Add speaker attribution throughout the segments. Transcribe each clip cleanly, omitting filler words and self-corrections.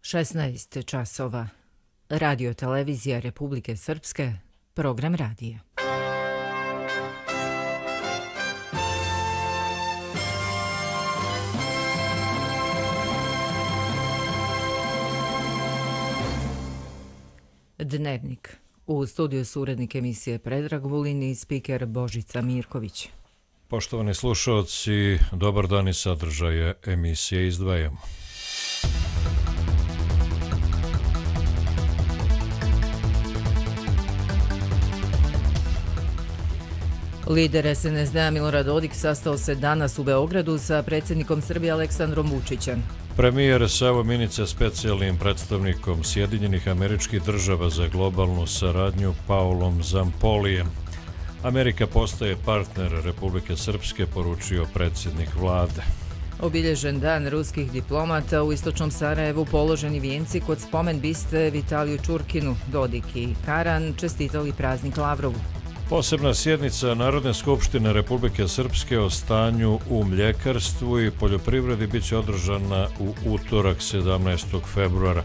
Speaker 1: 16 časova. Radio televizija Republike Srpske, program radija. Dnevnik. U studiju su urednik emisije Predrag Vulin i spiker Božica Mirković.
Speaker 2: Poštovani slušalci, dobar dan i sadržaje emisije izdvajamo.
Speaker 1: Lider SNSD-a Milorad Dodik sastao se danas u Beogradu sa predsjednikom Srbije Aleksandrom Vučićem.
Speaker 2: Premijer Savo Minića specijalnim predstavnikom Sjedinjenih Američkih Država za globalnu saradnju Paulom Zampolijem. Amerika postaje partner Republike Srpske, poručio predsjednik vlade.
Speaker 1: Obilježen dan ruskih diplomata u istočnom Sarajevu, položeni vijenci kod spomen biste Vitaliju Čurkinu. Dodik i Karan čestitali praznik Lavrovu.
Speaker 2: Posebna sjednica Narodne skupštine Republike Srpske o stanju u mljekarstvu i poljoprivredi biće održana u utorak 17. februara.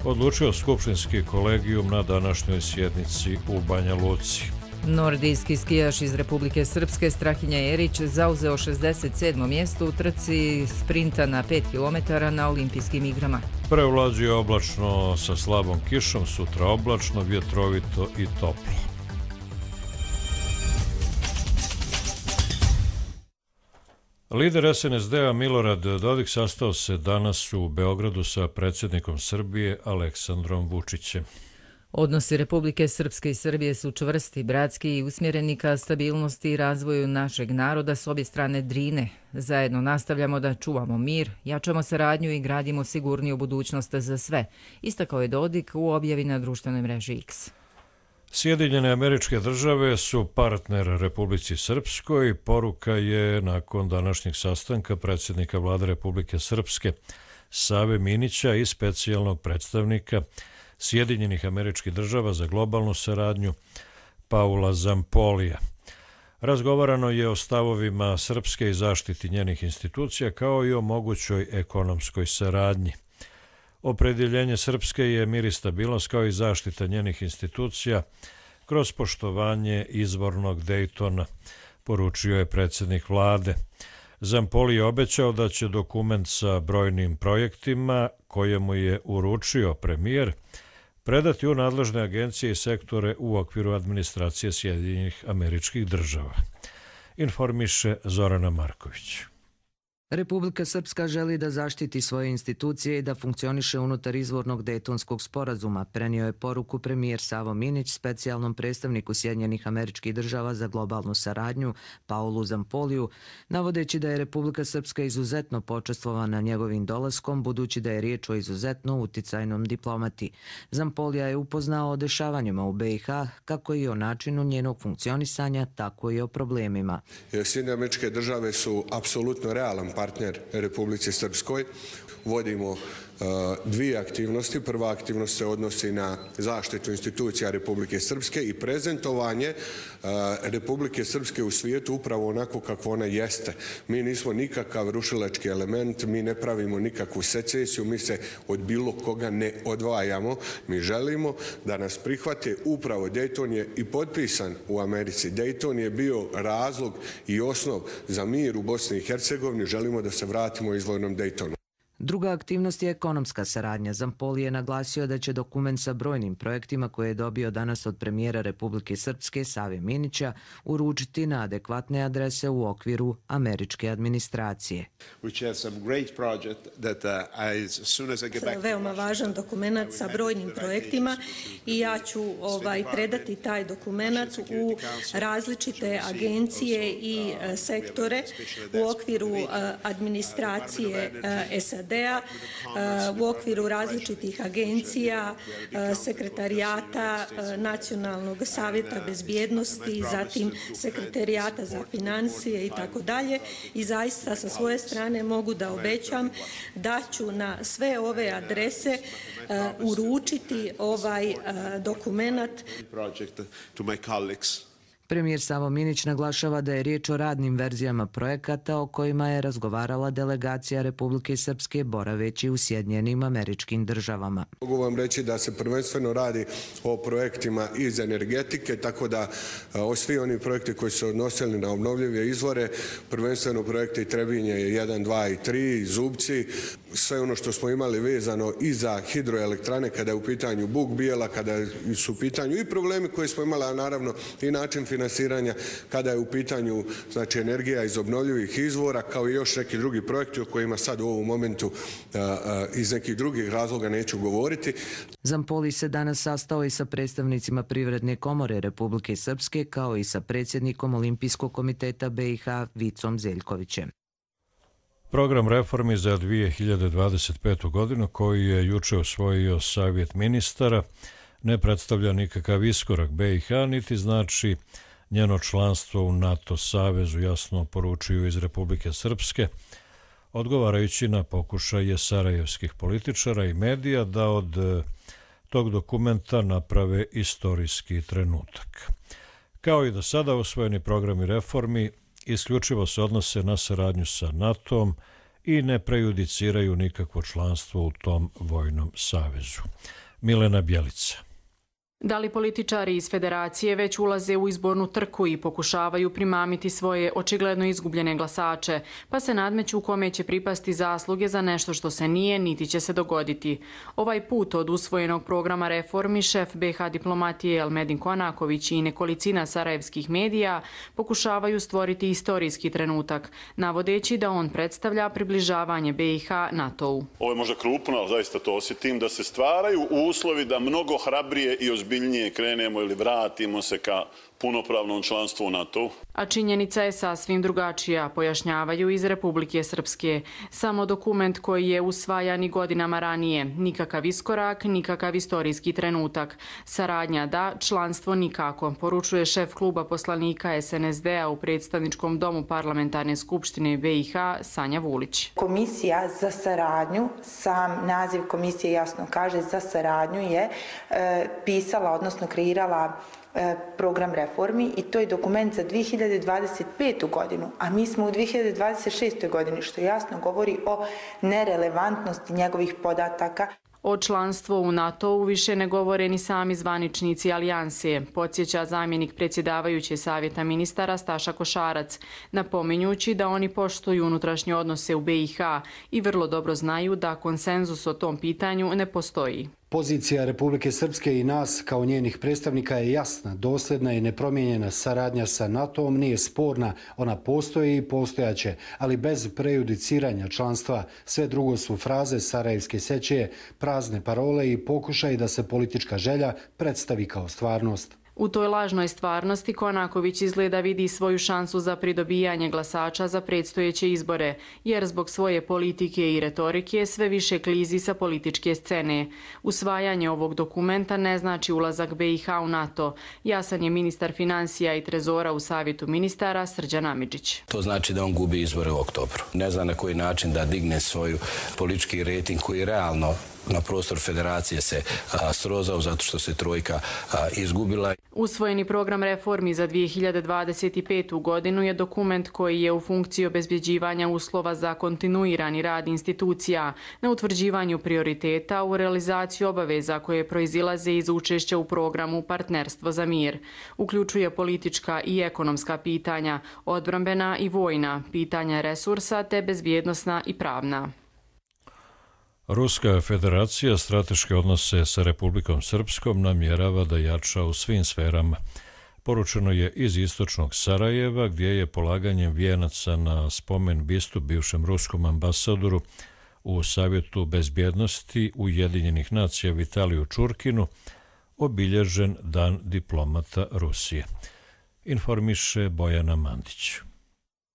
Speaker 2: Odlučio skupštinski kolegijum na današnjoj sjednici u Banja Luci.
Speaker 1: Nordijski skijaš iz Republike Srpske Strahinja Jerić zauzeo 67. mjesto u trci sprinta na 5 km na olimpijskim igrama.
Speaker 2: Prevlađuje oblačno sa slabom kišom, sutra oblačno, vjetrovito i toplo. Lider SNSD-a Milorad Dodik sastao se danas u Beogradu sa predsjednikom Srbije Aleksandrom Vučićem.
Speaker 1: Odnosi Republike Srpske i Srbije su čvrsti, bratski i usmjereni ka stabilnosti i razvoju našeg naroda s obje strane Drine. Zajedno nastavljamo da čuvamo mir, jačamo saradnju i gradimo sigurniju budućnost za sve, istakao je Dodik u objavi na društvenoj mreži X.
Speaker 2: Sjedinjene Američke Države su partner Republici Srpskoj. Poruka je nakon današnjeg sastanka predsjednika vlade Republike Srpske Save Minića i specijalnog predstavnika Sjedinjenih Američkih Država za globalnu saradnju Paula Zampolija. Razgovarano je o stavovima Srpske i zaštiti njenih institucija kao i o mogućoj ekonomskoj saradnji. Opredjeljenje Srpske je mir i stabilnost kao i zaštita njenih institucija kroz poštovanje izvornog Dejtona, poručio je predsjednik vlade. Zampoli je obećao da će dokument sa brojnim projektima kojemu je uručio premijer predati u nadležne agencije i sektore u okviru administracije Sjedinjenih Američkih Država. Informiše Zorana Marković.
Speaker 3: Republika Srpska želi da zaštiti svoje institucije i da funkcioniše unutar izvornog Dejtonskog sporazuma, prenio je poruku premijer Savo Minić specijalnom predstavniku Sjedinjenih Američkih Država za globalnu saradnju Paulu Zampoliju, navodeći da je Republika Srpska izuzetno počastvovana njegovim dolaskom, budući da je riječ o izuzetno uticajnom diplomati. Zampolija je upoznao o dešavanjima u BiH, kako i o načinu njenog funkcionisanja, tako i o problemima.
Speaker 4: Sjedinjene Američke Države su apsolutno realan partner Republici Srpskoj. Vodimo dvije aktivnosti. Prva aktivnost se odnosi na zaštitu institucija Republike Srpske i prezentovanje Republike Srpske u svijetu upravo onako kako ona jeste. Mi nismo nikakav rušilački element, mi ne pravimo nikakvu secesiju, mi se od bilo koga ne odvajamo. Mi želimo da nas prihvate. Upravo Dejton je i potpisan u Americi. Dejton je bio razlog i osnov za mir u Bosni i Hercegovini. Želimo da se vratimo izvornom Dejtonu.
Speaker 3: Druga aktivnost je ekonomska saradnja. Zampoli je naglasio da će dokument sa brojnim projektima koje je dobio danas od premijera Republike Srpske Save Minića uručiti na adekvatne adrese u okviru američke administracije.
Speaker 5: Veoma važan dokument sa brojnim projektima i ja ću predati taj dokument u različite agencije i sektore u okviru administracije SAD, u okviru različitih agencija, sekretarijata Nacionalnog savjeta bezbjednosti, zatim sekretarijata za financije i tako dalje. I zaista sa svoje strane mogu da obećam da ću na sve ove adrese uručiti ovaj dokument.
Speaker 3: Premijer Savo Minić naglašava da je riječ o radnim verzijama projekata o kojima je razgovarala delegacija Republike Srpske boraveći u Sjedinjenim Američkim Državama.
Speaker 4: Mogu vam reći da se prvenstveno radi o projektima iz energetike, tako da svi oni projekti koji su odnosili na obnovljive izvore, prvenstveno projekti Trebinje 1, 2 i 3, Zubci, sve ono što smo imali vezano i za hidroelektrane kada je u pitanju Buk Bijela, kada su u pitanju i problemi koje smo imali, a naravno i način finansiranja kada je u pitanju znači energija iz obnovljivih izvora, kao i još neki drugi projekti o kojima sad u ovom momentu iz nekih drugih razloga neću govoriti.
Speaker 3: Zampoli se danas sastao i sa predstavnicima Privredne komore Republike Srpske, kao i sa predsjednikom Olimpijskog komiteta BiH Vicom Zeljkovićem.
Speaker 2: Program reformi za 2025. godinu koji je juče usvojio Savjet ministara ne predstavlja nikakav iskorak BiH, niti znači njeno članstvo u NATO savezu, jasno poručuju iz Republike Srpske, odgovarajući na pokušaje sarajevskih političara i medija da od tog dokumenta naprave istorijski trenutak. Kao i do sada usvojeni programi reformi isključivo se odnose na saradnju sa NATO-om i ne prejudiciraju nikakvo članstvo u tom vojnom savezu. Milena Bjelica.
Speaker 6: Da li političari iz federacije već ulaze u izbornu trku i pokušavaju primamiti svoje očigledno izgubljene glasače, pa se nadmeću kome će pripasti zasluge za nešto što se nije niti će se dogoditi. Ovaj put od usvojenog programa reformi šef BiH diplomatije Elmedin Konaković i nekolicina sarajevskih medija pokušavaju stvoriti istorijski trenutak, navodeći da on predstavlja približavanje BiH NATO-u.
Speaker 7: Ovo je možda krupno, ali zaista to osjetim, da se stvaraju uslovi da mnogo hrabrije i ozbiljnije krenemo ili vratimo se ka punopravnom članstvu u NATO.
Speaker 6: A činjenica je sasvim drugačija, pojašnjavaju iz Republike Srpske. Samo dokument koji je usvajan i godinama ranije. Nikakav iskorak, nikakav istorijski trenutak. Saradnja da, članstvo nikako, poručuje šef kluba poslanika SNSD-a u predstavničkom domu parlamentarne skupštine BiH Sanja Vulić.
Speaker 8: Komisija za saradnju, sam naziv komisije jasno kaže, za saradnju je pisala, odnosno kreirala program reformi i to je dokument za 2025. godinu, a mi smo u 2026. godini, što jasno govori o nerelevantnosti njegovih podataka.
Speaker 6: O članstvu u NATO-u više ne govore ni sami zvaničnici alijanse, podsjeća zamjenik predsjedavajuće Savjeta ministara Staša Košarac, napominjući da oni poštuju unutrašnje odnose u BiH i vrlo dobro znaju da konsenzus o tom pitanju ne postoji.
Speaker 9: Pozicija Republike Srpske i nas kao njenih predstavnika je jasna, dosljedna i nepromijenjena. Saradnja sa NATO-om nije sporna, ona postoji i postojaće, ali bez prejudiciranja članstva. Sve drugo su fraze sarajevske sećeje, prazne parole i pokušaj da se politička želja predstavi kao stvarnost.
Speaker 6: U toj lažnoj stvarnosti Konaković izgleda vidi svoju šansu za pridobijanje glasača za predstojeće izbore, jer zbog svoje politike i retorike sve više klizi sa političke scene. Usvajanje ovog dokumenta ne znači ulazak BiH u NATO. Jasan je ministar financija i trezora u Savjetu ministara Srđan Amidžić.
Speaker 10: To znači da on gubi izbore u oktobru. Ne zna na koji način da digne svoju politički rating koji realno na prostor federacije se srozao zato što se trojka izgubila.
Speaker 6: Usvojeni program reformi za 2025. godinu je dokument koji je u funkciji obezbjeđivanja uslova za kontinuirani rad institucija, na utvrđivanju prioriteta, u realizaciju obaveza koje proizilaze iz učešća u programu Partnerstvo za mir. Uključuje politička i ekonomska pitanja, odbrambena i vojna, pitanja resursa te bezbjednosna i pravna.
Speaker 2: Ruska federacija strateške odnose sa Republikom Srpskom namjerava da jača u svim sferama. Poručeno je iz istočnog Sarajeva, gdje je polaganjem vijenaca na spomen bistu bivšem ruskom ambasadoru u Savjetu bezbjednosti Ujedinjenih nacija Vitaliju Čurkinu obilježen Dan diplomata Rusije. Informiše Bojana Mandić.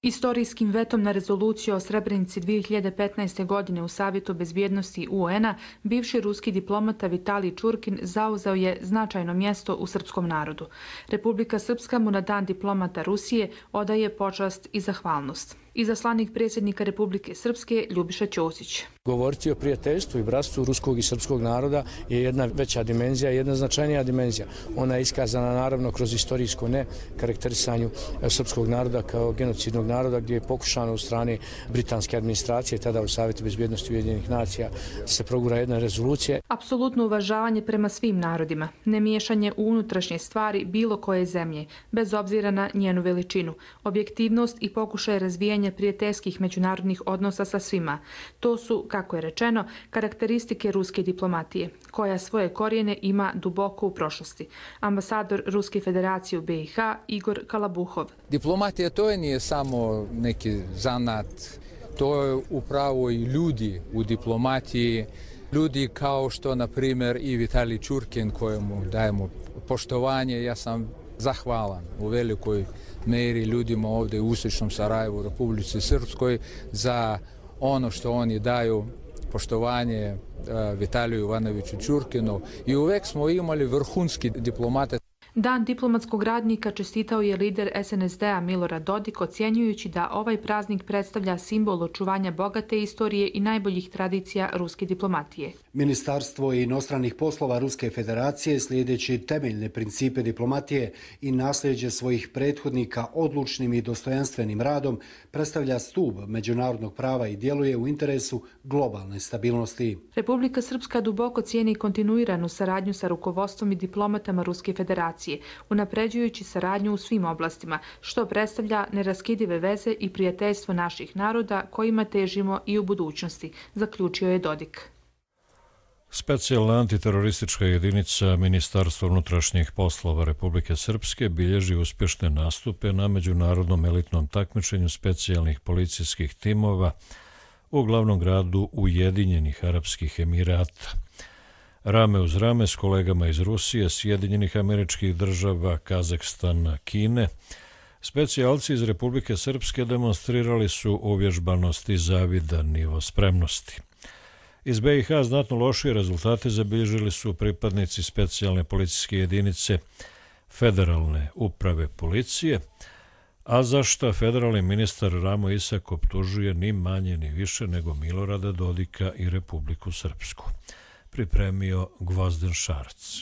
Speaker 11: Istorijskim vetom na rezoluciju o Srebrenici 2015. godine u Savjetu bezbjednosti UN-a bivši ruski diplomata Vitalij Čurkin zauzeo je značajno mjesto u srpskom narodu. Republika Srpska mu na Dan diplomata Rusije odaje počast i zahvalnost. Izaslanik predsjednika Republike Srpske Ljubiša Ćosić.
Speaker 12: Govoriti o prijateljstvu i bratstvu ruskog i srpskog naroda je jedna veća dimenzija, jedna značajnija dimenzija. Ona je iskazana naravno kroz istorijsko ne karakterisanju srpskog naroda kao genocidnog naroda, gdje je pokušano u strane britanske administracije, tada u Savjetu bezbjednosti Ujedinjenih nacija, se progura jedna rezolucija.
Speaker 11: Apsolutno uvažavanje prema svim narodima, nemiješanje u unutrašnje stvari bilo koje zemlje, bez obzira na njenu veličinu, objektivnost i pokušaj razvijanja prijateljskih međunarodnih odnosa sa svima. To su, kako je rečeno, karakteristike ruske diplomatije, koja svoje korijene ima duboko u prošlosti. Ambasador Ruske federacije u BiH Igor Kalabuhov.
Speaker 13: Diplomatija to nije samo neki zanat, to je upravo i ljudi u diplomatiji. Ljudi kao što, na primjer, i Vitalij Čurkin, kojemu dajemo poštovanje. Ja sam zahvalan u velikoj meri ljudima ovdje u istočnom Sarajevu, u Republici Srpskoj, za ono što oni daju poštovanje Vitaliju Ivanoviću Čurkinu. I uvek smo imali vrhunski diplomate.
Speaker 11: Dan diplomatskog radnika čestitao je lider SNSD-a Milorad Dodik, ocjenjujući da ovaj praznik predstavlja simbol očuvanja bogate istorije i najboljih tradicija ruske diplomatije.
Speaker 9: Ministarstvo inostranih poslova Ruske federacije, slijedeći temeljne principe diplomatije i nasljeđe svojih prethodnika odlučnim i dostojanstvenim radom, predstavlja stup međunarodnog prava i djeluje u interesu globalne stabilnosti.
Speaker 11: Republika Srpska duboko cijeni kontinuiranu saradnju sa rukovodstvom i diplomatama Ruske federacije, unapređujući saradnju u svim oblastima, što predstavlja neraskidive veze i prijateljstvo naših naroda kojima težimo i u budućnosti, zaključio je Dodik.
Speaker 2: Specijalna antiteroristička jedinica Ministarstva unutrašnjih poslova Republike Srpske bilježi uspješne nastupe na međunarodnom elitnom takmičenju specijalnih policijskih timova u glavnom gradu Ujedinjenih Arapskih Emirata. Rame uz rame s kolegama iz Rusije, Sjedinjenih Američkih Država, Kazahstana, Kine, specijalci iz Republike Srpske demonstrirali su uvježbanost i zavidan nivo spremnosti. Iz BiH znatno lošije rezultate zabilježili su pripadnici specijalne policijske jedinice Federalne uprave policije, a za što federalni ministar Ramo Isak optužuje ni manje ni više nego Milorada Dodika i Republiku Srpsku. Pripremio Gvozden Šarc.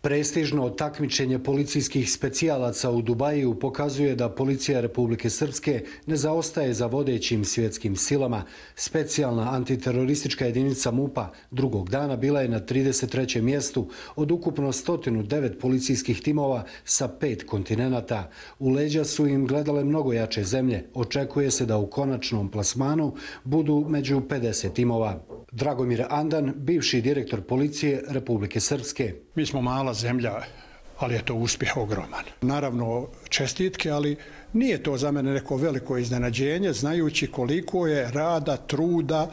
Speaker 9: Prestižno takmičenje policijskih specijalaca u Dubaju pokazuje da policija Republike Srpske ne zaostaje za vodećim svjetskim silama. Specijalna antiteroristička jedinica MUP-a drugog dana bila je na 33. mjestu od ukupno 109 policijskih timova sa 5 kontinenata. U leđa su im gledale mnogo jače zemlje. Očekuje se da u konačnom plasmanu budu među 50 timova. Dragomir Andan, bivši direktor policije Republike Srpske.
Speaker 14: Mi smo mala zemlja, ali je to uspjeh ogroman. Naravno, čestitke, ali nije to za mene neko veliko iznenađenje, znajući koliko je rada, truda,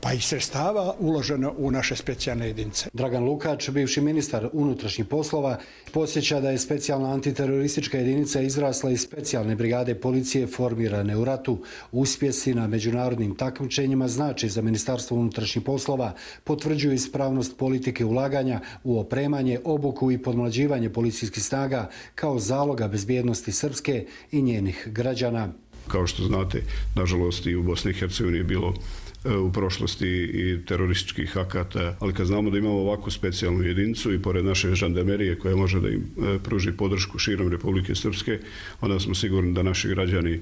Speaker 14: pa i sredstava uloženo u naše specijalne jedinice.
Speaker 9: Dragan Lukač, bivši ministar unutrašnjih poslova, podsjeća da je specijalna antiteroristička jedinica izrasla iz specijalne brigade policije formirane u ratu. Uspjesi na međunarodnim takmičenjima znači za Ministarstvo unutrašnjih poslova potvrđuju ispravnost politike ulaganja u opremanje, obuku i podmlađivanje policijskih snaga kao zaloga bezbjednosti Srpske i njenih građana.
Speaker 15: Kao što znate, nažalost i u Bosni i Hercegovini je bilo u prošlosti i terorističkih akata, ali kad znamo da imamo ovakvu specijalnu jedinicu i pored naše žandarmerije koja može da im pruži podršku širom Republike Srpske, onda smo sigurni da naši građani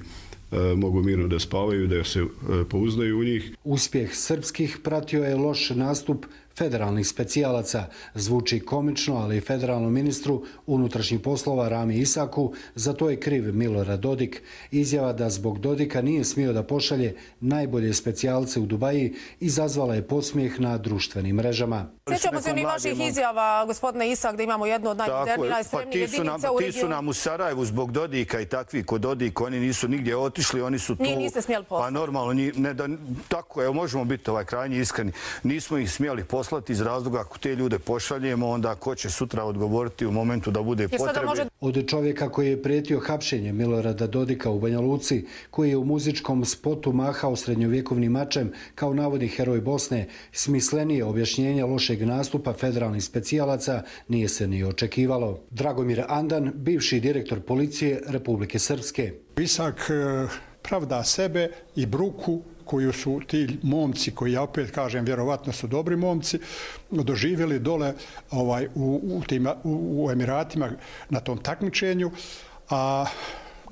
Speaker 15: mogu mirno da spavaju, da se pouzdaju u njih.
Speaker 9: Uspjeh srpskih pratio je loš nastup federalnih specijalaca. Zvuči komično, ali federalnom ministru unutrašnjih poslova Rami Isaku za to je kriv Milorad Dodik. Izjava da zbog Dodika nije smio da pošalje najbolje specijalce u Dubaji izazvala je podsmijeh na društvenim mrežama.
Speaker 16: Sjećamo se onih vaših izjava, gospodine Isak, da imamo jednu od najmodernijih, najspremnijih jedinica u regionu.
Speaker 17: Ti su nam u Sarajevu zbog Dodika i takvi kod Dodika, oni nisu nigdje otišli, oni su tu...
Speaker 16: Njih niste smjeli poslati.
Speaker 17: Pa normalno, tako je, možemo biti krajnji iskreni. Nismo ih smjeli poslati iz razloga ako te ljude pošaljemo, onda ko će sutra odgovoriti u momentu da bude potrebe.
Speaker 9: Od čovjeka koji je prijetio hapšenje Milorada Dodika u Banja Luci, koji je u muzičkom spotu mahao srednjovjekovnim mačem kao navodni heroj Bosne, smislenije objašnjenja lošeg nastupa federalnih specijalaca nije se ni očekivalo. Dragomir Andan, bivši direktor policije Republike Srpske.
Speaker 14: Isak pravda sebe i bruku koju su ti momci, koji ja opet kažem vjerovatno su dobri momci, doživjeli dole u Emiratima na tom takmičenju. A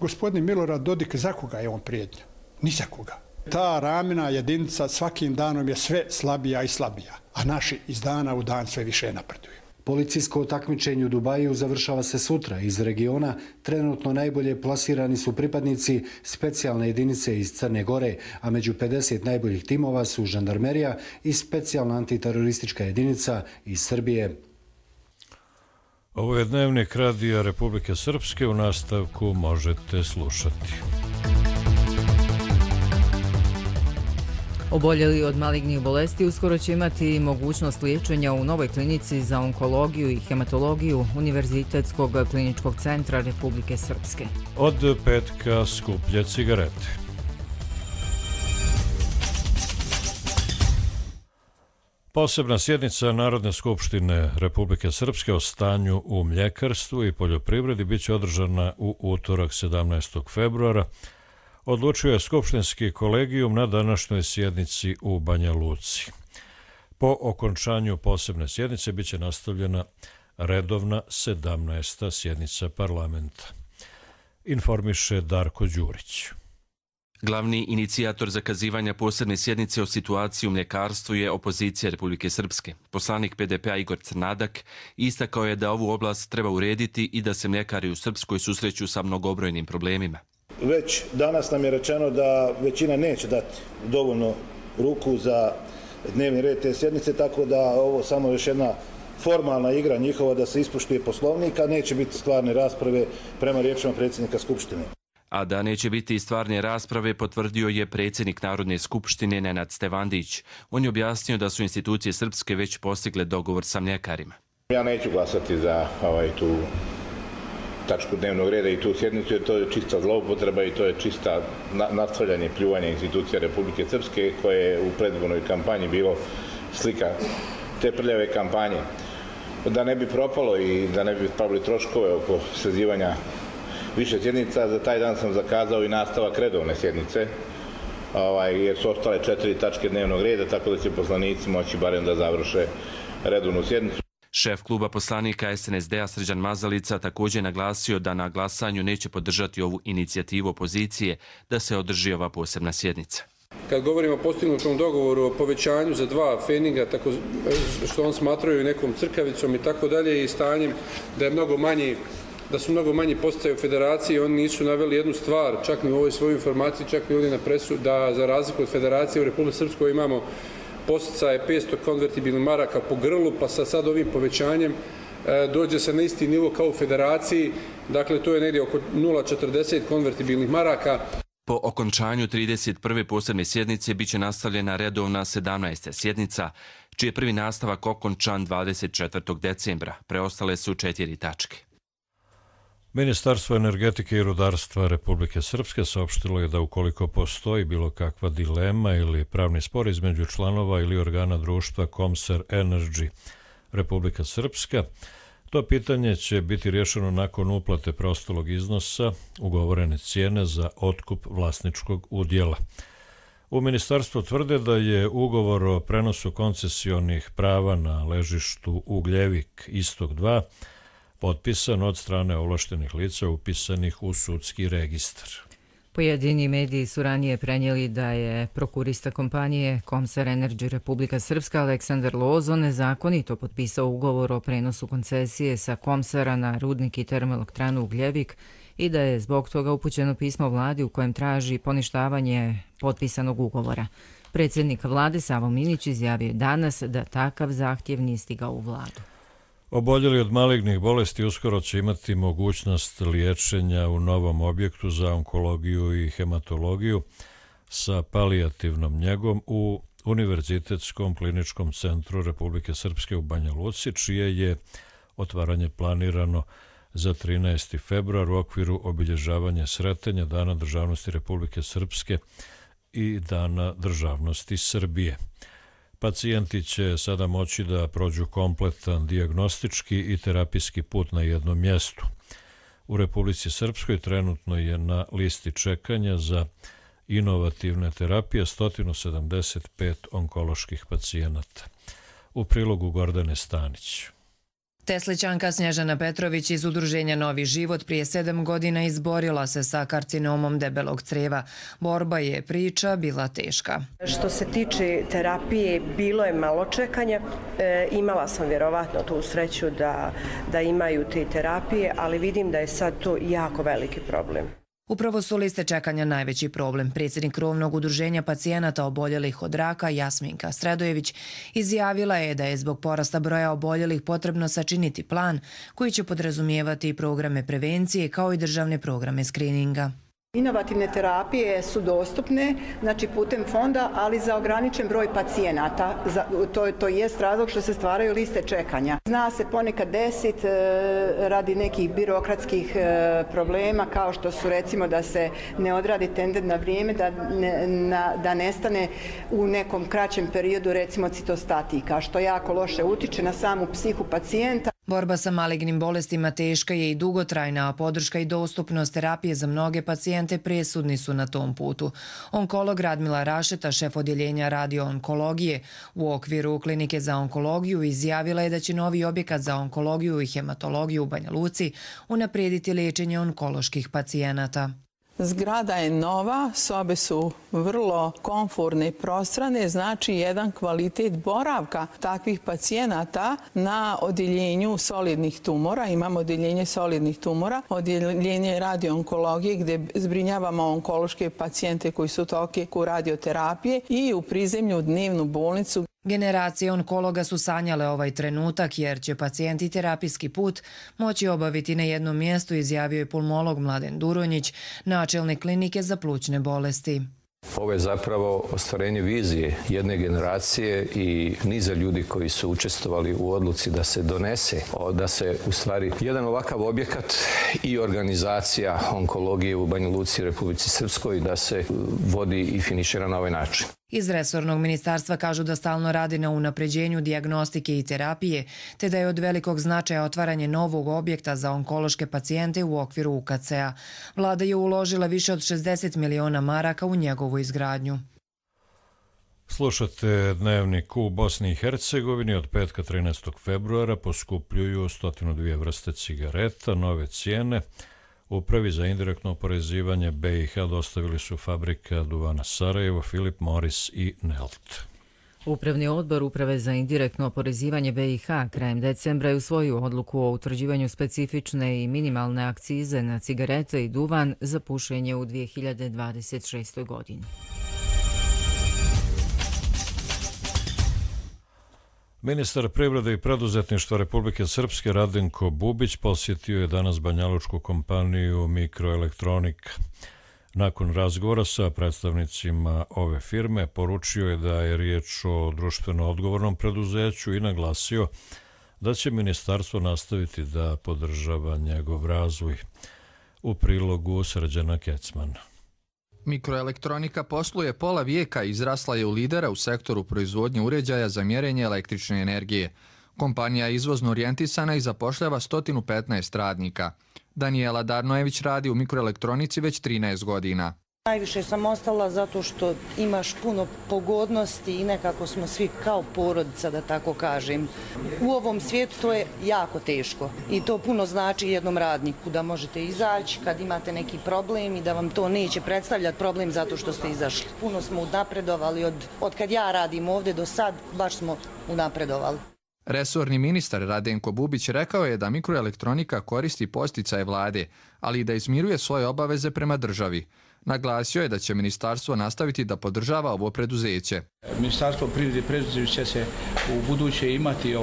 Speaker 14: gospodin Milorad Dodik, za koga je on prijetnja? Ni za koga. Ta ramena jedinica svakim danom je sve slabija i slabija, a naši iz dana u dan sve više napreduju.
Speaker 9: Policijsko takmičenje u Dubaju završava se sutra. Iz regiona trenutno najbolje plasirani su pripadnici specijalne jedinice iz Crne Gore, a među 50 najboljih timova su žandarmerija i specijalna antiteroristička jedinica iz Srbije.
Speaker 2: Ovo je dnevnik Radija Republike Srpske, u nastavku možete slušati.
Speaker 1: Oboljeli od malignih bolesti uskoro će imati mogućnost liječenja u novoj klinici za onkologiju i hematologiju Univerzitetskog kliničkog centra Republike Srpske.
Speaker 2: Od petka skuplje cigarete. Posebna sjednica Narodne skupštine Republike Srpske o stanju u mljekarstvu i poljoprivredi biće održana u utorak 17. februara. Odlučio je skupštinski kolegijum na današnjoj sjednici u Banja Luci. Po okončanju posebne sjednice biće nastavljena redovna 17. sjednica parlamenta. Informiše Darko Đurić.
Speaker 18: Glavni inicijator zakazivanja posebne sjednice o situaciji u mljekarstvu je opozicija Republike Srpske. Poslanik PDP-a Igor Crnadak istakao je da ovu oblast treba urediti i da se mljekari u Srpskoj susreću sa mnogobrojnim problemima.
Speaker 19: Već danas nam je rečeno da većina neće dati dovoljno ruku za dnevni red te sjednice, tako da ovo samo još jedna formalna igra njihova da se ispoštuje poslovnik, a neće biti stvarne rasprave prema riječima predsjednika Skupštine.
Speaker 18: A da neće biti stvarne rasprave potvrdio je predsjednik Narodne skupštine Nenad Stevandić. On je objasnio da su institucije Srpske već postigle dogovor sa mljekarima.
Speaker 20: Ja neću glasati za tu tačku dnevnog reda i tu sjednicu, jer to je čista zloupotreba i to je čista nastavljanje pljuvanja institucija Republike Srpske, koje je u predizbornoj kampanji bilo slika te prljave kampanje. Da ne bi propalo i da ne bi pravili troškove oko sazivanja više sjednica, za taj dan sam zakazao i nastavak redovne sjednice, jer su ostale 4 tačke dnevnog reda, tako da će poslanici moći barem da završe redovnu sjednicu.
Speaker 18: Šef kluba poslanika SNSD-a Srđan Mazalica također naglasio da na glasanju neće podržati ovu inicijativu opozicije da se održi ova posebna sjednica.
Speaker 21: Kad govorimo o postignutom dogovoru o povećanju za 2 feninga, tako što on smatraju nekom crkavicom i tako dalje, i stanjem da su mnogo manji postaje u federaciji, oni nisu naveli jednu stvar, čak ni u ovoj svojoj informaciji, čak ni ovdje na presu, da za razliku od federacije u Republike Srpskoj imamo posticaje 500 konvertibilnih maraka po grlu, pa sa sad ovim povećanjem dođe se na isti nivo kao u federaciji, dakle to je negdje oko 0,40 konvertibilnih maraka.
Speaker 18: Po okončanju 31. posebne sjednice biće nastavljena redovna 17. sjednica, čiji je prvi nastavak okončan 24. decembra. Preostale su 4 tačke.
Speaker 2: Ministarstvo energetike i rudarstva Republike Srpske saopštilo je da ukoliko postoji bilo kakva dilema ili pravni spor između članova ili organa društva Komser Energy Republika Srpska, to pitanje će biti rješeno nakon uplate preostalog iznosa ugovorene cijene za otkup vlasničkog udjela. U ministarstvu tvrde da je ugovor o prenosu koncesionih prava na ležištu Ugljevik Istok 2 potpisan od strane ovlaštenih lica upisanih u sudski registar.
Speaker 1: Pojedini mediji su ranije prenijeli da je prokurista kompanije Komser Energy Republika Srpska Aleksandar Lozo nezakonito potpisao ugovor o prenosu koncesije sa Komsera na rudnik i termoelektranu Ugljevik i da je zbog toga upućeno pismo vladi u kojem traži poništavanje potpisanog ugovora. Predsjednik vlade Savo Minić izjavio je danas da takav zahtjev nije stigao u vladu.
Speaker 2: Oboljeli od malignih bolesti uskoro će imati mogućnost liječenja u novom objektu za onkologiju i hematologiju sa palijativnom njegom u Univerzitetskom kliničkom centru Republike Srpske u Banja Luci, čije je otvaranje planirano za 13. februar u okviru obilježavanja sretanja Dana državnosti Republike Srpske i Dana državnosti Srbije. Pacijenti će sada moći da prođu kompletan dijagnostički i terapijski put na jednom mjestu. U Republici Srpskoj trenutno je na listi čekanja za inovativne terapije 175 onkoloških pacijenata. U prilogu Gordane Stanić.
Speaker 5: Teslićanka Snježana Petrović iz udruženja Novi život prije 7 godina izborila se sa karcinomom debelog crijeva. Borba je priča bila teška.
Speaker 22: Što se tiče terapije, bilo je malo čekanja. Imala sam vjerovatno tu sreću da imaju te terapije, ali vidim da je sad to jako veliki problem.
Speaker 5: Upravo su liste čekanja najveći problem. Predsjednik krovnog udruženja pacijenata oboljelih od raka Jasminka Sredojević izjavila je da je zbog porasta broja oboljelih potrebno sačiniti plan koji će podrazumijevati programe prevencije kao i državne programe skrininga.
Speaker 23: Inovativne terapije su dostupne, znači putem fonda, ali za ograničen broj pacijenata. To jest razlog što se stvaraju liste čekanja. Zna se ponekad desiti radi nekih birokratskih problema, kao što su recimo da se ne odradi tender na vrijeme, da nestane u nekom kraćem periodu recimo citostatika, što jako loše utiče na samu psihu pacijenta.
Speaker 5: Borba sa malignim bolestima teška je i dugotrajna, a podrška i dostupnost terapije za mnoge pacijente presudni su na tom putu. Onkolog Radmila Rašeta, šef odjeljenja radioonkologije u okviru Klinike za onkologiju, izjavila je da će novi objekat za onkologiju i hematologiju u Banja Luci unaprijediti liječenje onkoloških pacijenata.
Speaker 24: Zgrada je nova, sobe su vrlo komforne i prostrane, znači jedan kvalitet boravka takvih pacijenata na odjeljenju solidnih tumora. Imamo odjeljenje solidnih tumora, odjeljenje radioonkologije gdje zbrinjavamo onkološke pacijente koji su u toku radioterapije i u prizemlju dnevnu bolnicu.
Speaker 5: Generacije onkologa su sanjale ovaj trenutak jer će pacijenti terapijski put moći obaviti na jednom mjestu, izjavio je pulmolog Mladen Duronjić, načelnik klinike za plućne bolesti.
Speaker 25: Ovo je zapravo ostvarenje vizije jedne generacije i niza ljudi koji su učestvovali u odluci da se donese, da se u stvari jedan ovakav objekat i organizacija onkologije u Banja Luci i Republici Srpskoj da se vodi i finišira na ovaj način.
Speaker 5: Iz resornog ministarstva kažu da stalno radi na unapređenju dijagnostike i terapije, te da je od velikog značaja otvaranje novog objekta za onkološke pacijente u okviru UKC-a. Vlada je uložila više od 60 miliona maraka u njegovu izgradnju.
Speaker 2: Slušate Dnevnik. U Bosni i Hercegovini od petka 13. februara poskupljuju 102 vrste cigareta, nove cijene. Upravi za indirektno oporezivanje BiH dostavili su fabrika Duvana Sarajevo, Philip Morris i Nelt.
Speaker 1: Upravni odbor Uprave za indirektno oporezivanje BiH krajem decembra je usvojio odluku o utvrđivanju specifične i minimalne akcize na cigarete i duvan za pušenje u 2026. godini.
Speaker 2: Ministar privrede i preduzetništva Republike Srpske Radenko Bubić posjetio je danas banjalučku kompaniju Mikroelektronika. Nakon razgovora sa predstavnicima ove firme poručio je da je riječ o društveno odgovornom preduzeću i naglasio da će ministarstvo nastaviti da podržava njegov razvoj. U prilogu Srđana Kecmana.
Speaker 26: Mikroelektronika posluje pola vijeka i izrasla je u lidera u sektoru proizvodnje uređaja za mjerenje električne energije. Kompanija je izvozno orijentisana i zapošljava 115 radnika. Danijela Darnojević radi u mikroelektronici već 13 godina.
Speaker 27: Najviše sam ostala zato što imaš puno pogodnosti i nekako smo svi kao porodica, da tako kažem. U ovom svijetu to je jako teško i to puno znači jednom radniku da možete izaći kad imate neki problem i da vam to neće predstavljati problem zato što ste izašli. Puno smo unapredovali od kad ja radim ovdje do sad, baš smo unapredovali.
Speaker 26: Resorni ministar Radenko Bubić rekao je da mikroelektronika koristi posticaje vlade, ali i da izmiruje svoje obaveze prema državi. Naglasio je da će ministarstvo nastaviti da podržava ovo preduzeće.
Speaker 28: Ministarstvo privrede i preduzeća će se u buduće imati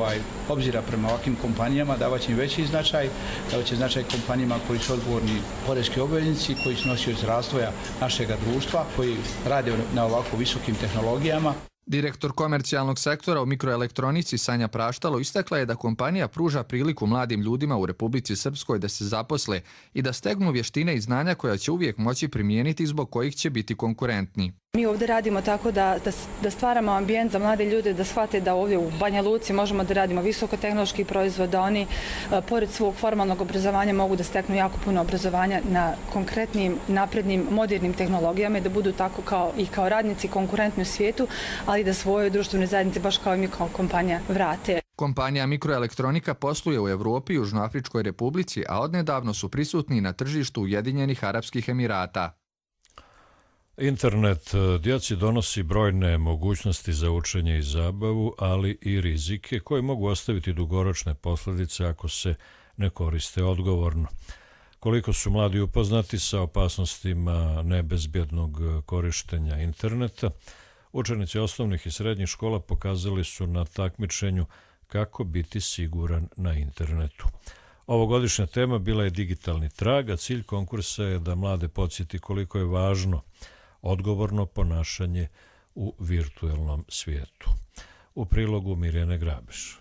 Speaker 28: obzira prema ovakvim kompanijama, davaće im veći značaj, davaće značaj kompanijama koji su odgovorni poreski obveznici, koji su nosioci razvoja našeg društva, koji rade na ovako visokim tehnologijama.
Speaker 26: Direktor komercijalnog sektora u mikroelektronici Sanja Praštalo istakla je da kompanija pruža priliku mladim ljudima u Republici Srpskoj da se zaposle i da stegnu vještine i znanja koja će uvijek moći primijeniti zbog kojih će biti konkurentni.
Speaker 11: Mi ovdje radimo tako da stvaramo ambijent za mlade ljude, da shvate da ovdje u Banja Luci možemo da radimo visokotehnološki proizvod, da oni pored svog formalnog obrazovanja mogu da steknu jako puno obrazovanja na konkretnim, naprednim, modernim tehnologijama i da budu tako kao radnici konkurentni u svijetu, ali da svojoj društvenoj zajednici, baš kao i mi kao kompanija, vrate.
Speaker 26: Kompanija Mikroelektronika posluje u Evropi i Južnoafričkoj republici, a odnedavno su prisutni na tržištu Ujedinjenih Arapskih Emirata.
Speaker 2: Internet djeci donosi brojne mogućnosti za učenje i zabavu, ali i rizike koje mogu ostaviti dugoročne posljedice ako se ne koriste odgovorno. Koliko su mladi upoznati sa opasnostima nebezbjednog korištenja interneta, učenici osnovnih i srednjih škola pokazali su na takmičenju kako biti siguran na internetu. Ovogodišnja tema bila je digitalni trag, a cilj konkursa je da mlade podsjeti koliko je važno odgovorno ponašanje u virtuelnom svijetu. U prilogu Mirjane Grabeš.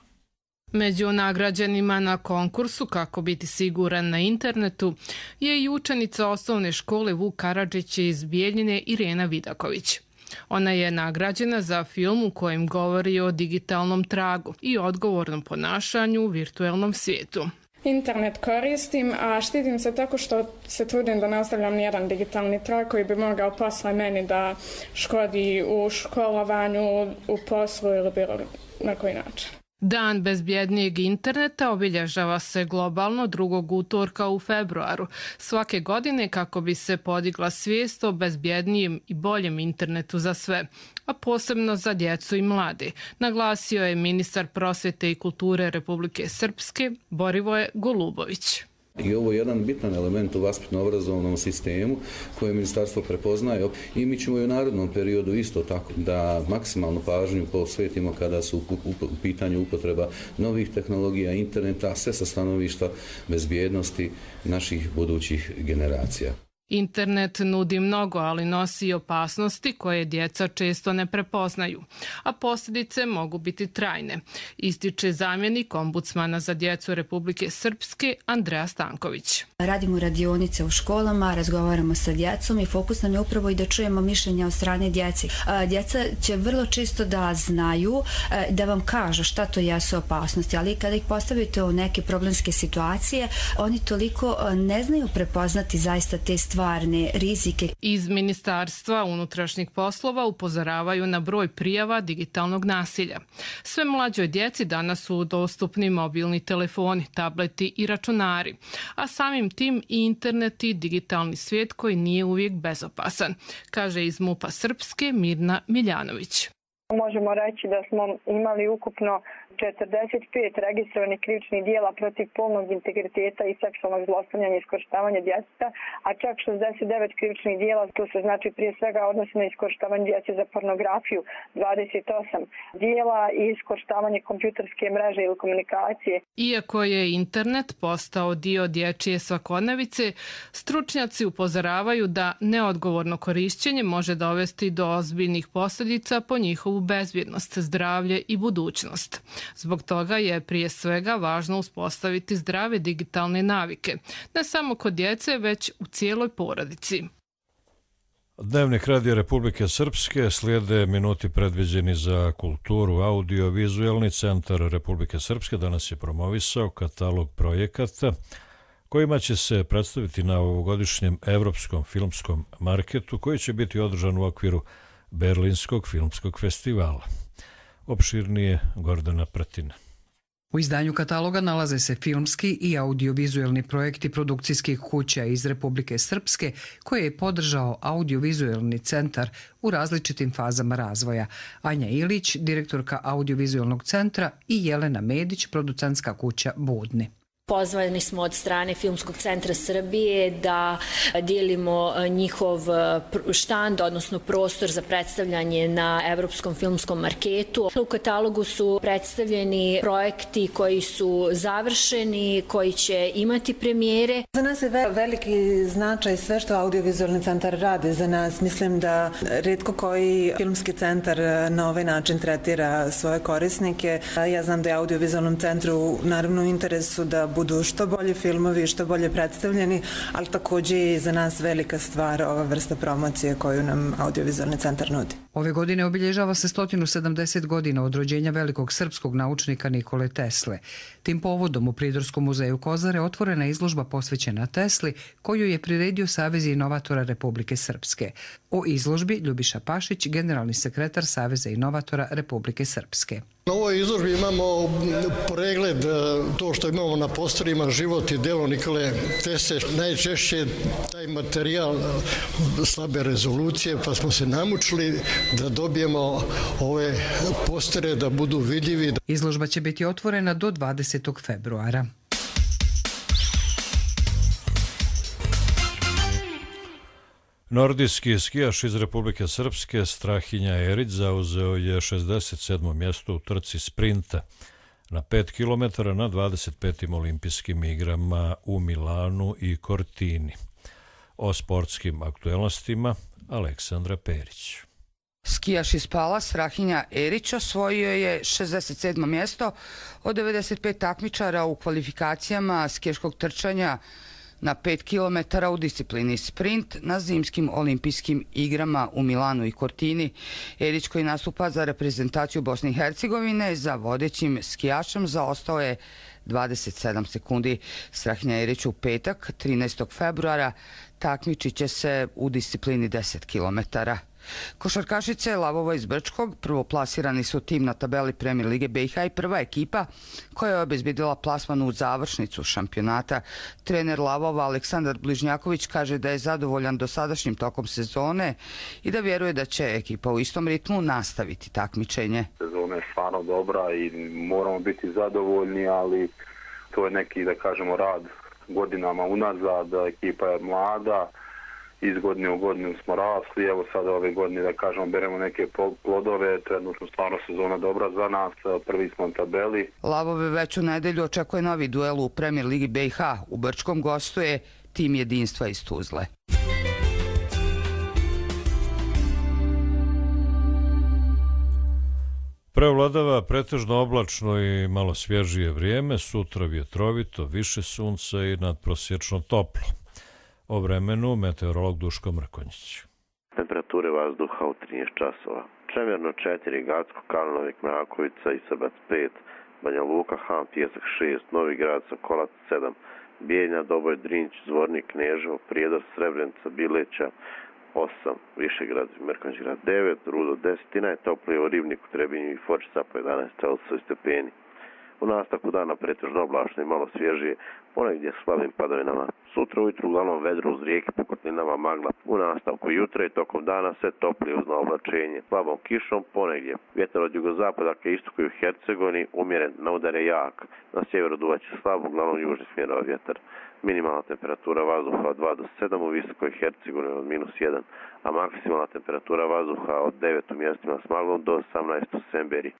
Speaker 3: Među nagrađenima na konkursu Kako biti siguran na internetu je i učenica osnovne škole Vuk Karadžić iz Bijeljine Irena Vidaković. Ona je nagrađena za film u kojem govori o digitalnom tragu i odgovornom ponašanju u virtuelnom svijetu.
Speaker 4: Internet koristim, a štitim se tako što se trudim da ne ostavljam nijedan digitalni trag koji bi mogao posle meni da škodi u školovanju, u poslu ili bilo na koji način.
Speaker 3: Dan bezbjednijeg interneta obilježava se globalno 2. utorka u februaru svake godine kako bi se podigla svijest o bezbjednijem i boljem internetu za sve, a posebno za djecu i mlade, naglasio je ministar prosvjete i kulture Republike Srpske Borivoje Golubović.
Speaker 6: I ovo je jedan bitan element u vaspitno-obrazovnom sistemu koje ministarstvo prepoznaje i mi ćemo i u narednom periodu isto tako da maksimalnu pažnju posvetimo kada su u pitanju upotreba novih tehnologija, interneta, sve sa stanovišta bezbjednosti naših budućih generacija.
Speaker 3: Internet nudi mnogo, ali nosi i opasnosti koje djeca često ne prepoznaju, a posljedice mogu biti trajne, ističe zamjenik ombudsmana za djecu Republike Srpske Andreja Stanković.
Speaker 7: Radimo radionice u školama, razgovaramo sa djecom i fokus nam je upravo i da čujemo mišljenja od strane djeci. Djeca će vrlo čisto da znaju, da vam kažu šta to jesu opasnosti, ali kada ih postavite u neke problemske situacije, oni toliko ne znaju prepoznati zaista te stvarne rizike.
Speaker 3: Iz Ministarstva unutrašnjih poslova upozoravaju na broj prijava digitalnog nasilja. Sve mlađoj djeci danas su dostupni mobilni telefoni, tableti i računari, a samim tim i internet i digitalni svijet koji nije uvijek bezopasan, kaže iz MUP-a Srpske Mirna Miljanović.
Speaker 8: Možemo reći da smo imali ukupno 45 registrovanih krivičnih dijela protiv polnog integriteta i seksualnog zlostavljanja i iskorištavanja djeteta, a čak 69 krivičnih dijela, to se znači prije svega odnosi na iskorištavanje djece za pornografiju, 28 dijela i iskorištavanje kompjuterske mreže ili komunikacije.
Speaker 3: Iako je internet postao dio dječje svakodnevice, stručnjaci upozoravaju da neodgovorno korišćenje može dovesti do ozbiljnih posljedica po njihovu bezbjednost, zdravlje i budućnost. Zbog toga je prije svega važno uspostaviti zdrave digitalne navike, ne samo kod djece, već u cijeloj porodici.
Speaker 2: Dnevnik Radija Republike Srpske, slijede minuti predviđeni za kulturu. Audio-vizualni centar Republike Srpske danas je promovisao katalog projekata kojima će se predstaviti na ovogodišnjem Evropskom filmskom marketu koji će biti održan u okviru Berlinskog filmskog festivala. Opširnije Gordana Pratina.
Speaker 10: U izdanju kataloga nalaze se filmski i audiovizualni projekti produkcijskih kuća iz Republike Srpske koje je podržao audiovizualni centar u različitim fazama razvoja. Anja Ilić, direktorka audiovizualnog centra, i Jelena Medić, producentska kuća Budni.
Speaker 12: Pozvani smo od strane Filmskog centra Srbije da dijelimo njihov štand, odnosno prostor za predstavljanje na Evropskom filmskom marketu. U katalogu su predstavljeni projekti koji su završeni, koji će imati premijere.
Speaker 13: Za nas je veliki značaj sve što audiovizualni centar radi za nas. Mislim da retko koji filmski centar na ovaj način tretira svoje korisnike. Ja znam da je audiovizualnom centru naravno u interesu da budu što bolji filmovi, što bolje predstavljeni, ali takođe i za nas velika stvar ova vrsta promocije koju nam Audiovizualni centar nudi.
Speaker 10: Ove godine obilježava se 170 godina od rođenja velikog srpskog naučnika Nikole Tesle. Tim povodom u Pridorskom muzeju Kozare otvorena je izložba posvećena Tesli, koju je priredio Savez inovatora Republike Srpske. O izložbi Ljubiša Pašić, generalni sekretar Saveza inovatora Republike Srpske.
Speaker 9: Na ovoj izložbi imamo pregled to što imamo na posterima, život i delo Nikole Tesle. Najčešće taj materijal slabe rezolucije, pa smo se namučili da dobijemo ove postere da budu vidljivi.
Speaker 10: Izložba će biti otvorena do 20. februara.
Speaker 2: Nordijski skijaš iz Republike Srpske Strahinja Erić zauzeo je 67. mjesto u trci sprinta na 5 km na 25. olimpijskim igrama u Milanu i Cortini. O sportskim aktuelnostima Aleksandra Perić.
Speaker 14: Skijaš iz Pala Strahinja Erić osvojio je 67. mjesto od 95 takmičara u kvalifikacijama skijaškog trčanja na 5 km u disciplini sprint na zimskim olimpijskim igrama u Milanu i Cortini. Erić, koji nastupa za reprezentaciju Bosne i Hercegovine, za vodećim skijašem zaostao je 27 sekundi. Strahinja Erić u petak, 13. februara, takmičit će se u disciplini 10 km. Košarkašice Lavova iz Brčkog prvoplasirani su tim na tabeli Premier Lige BiH i prva ekipa koja je obezbedila plasman u završnicu šampionata. Trener Lavova Aleksandar Bližnjaković kaže da je zadovoljan dosadašnjim tokom sezone i da vjeruje da će ekipa u istom ritmu nastaviti takmičenje.
Speaker 15: Sezona je stvarno dobra i moramo biti zadovoljni, ali to je neki, da kažemo, rad godinama unazad. Ekipa je mlada, iz godine u godinu smo rasli, evo sada ove godine, da kažemo, beremo neke plodove, trenutno stvarno sezona dobra za nas, prvi smo na tabeli.
Speaker 14: Lavove već u nedelju očekuje novi duel u Premier Ligi BiH. U Brčkom gostuje tim Jedinstva iz Tuzle.
Speaker 2: Preovladava pretežno oblačno i malo svježije vrijeme, sutra vjetrovito, više sunca i nadprosječno toplo. O vremenu meteorolog Duško Mrkonjić.
Speaker 16: Temperature vazduha u 13 časova. Čemerno 4, Gacko, Kalnovik, Mrakovica i Srbac 5, Banja Luka, Han, Pijesak 6, Novi Grad, Sokolac 7, Bijeljna, Doboj, Drinć, Zvornik, Kneževo, Prijedor, Srebrenica, Bileća 8, Višegrad, Merkanjgrad 9, Rudo 10 i najtoplije u Ribniku, Trebinju i Fočica po 11 Celsius stepeni. U nastavku dana pretežno oblačno i malo svježije, ponegdje s slabim padavinama. Sutra ujutru uglavnom vedro uz rijeke, po kotlinama magla. U nastavku jutra i tokom dana sve toplije uz oblačenje. Slabom kišom ponegdje. Vjetar od jugozapada ka istoku i u Hercegovini umjeren, na udare jak. Na sjeveru duvaće slabo, uglavnom južni smjerova vjetar. Minimalna temperatura vazduha od 2 do 7 u visokoj Hercegovini od -1, a maksimalna temperatura vazduha od 9 u mjestima s maglom do 18 u Semberi.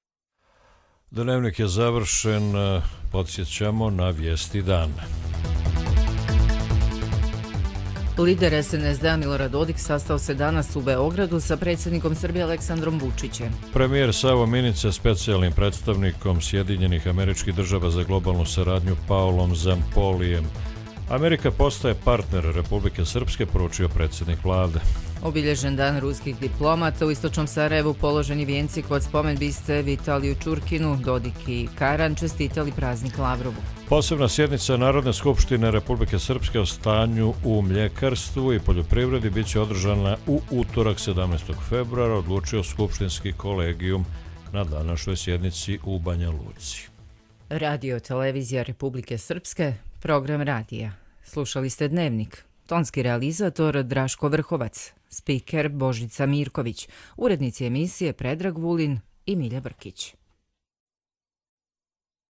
Speaker 2: Dnevnik je završen, podsjećamo na vijesti dana.
Speaker 1: Lider SNSD Milorad Dodik sastao se danas u Beogradu sa predsjednikom Srbije Aleksandrom Vučićem.
Speaker 2: Premijer Savo Minića specijalnim predstavnikom Sjedinjenih Američkih Država za globalnu saradnju Paolom Zampolijem. Amerika postaje partner Republike Srpske, poručio predsjednik vlade.
Speaker 1: Obilježen dan ruskih diplomata, u istočnom Sarajevu položeni vijenci kod spomen-biste Vitaliju Čurkinu, Dodik i Karan čestitali praznik Lavrovu.
Speaker 2: Posebna sjednica Narodne skupštine Republike Srpske o stanju u mljekarstvu i poljoprivredi bit će održana u utorak 17. februara, odlučio skupštinski kolegijum na današnjoj sjednici u Banja Luci.
Speaker 1: Radio Televizija Republike Srpske, program radija. Slušali ste Dnevnik. Tonski realizator Draško Vrhovac, spiker Božica Mirković, urednici emisije Predrag Vulin i Milja Brkić.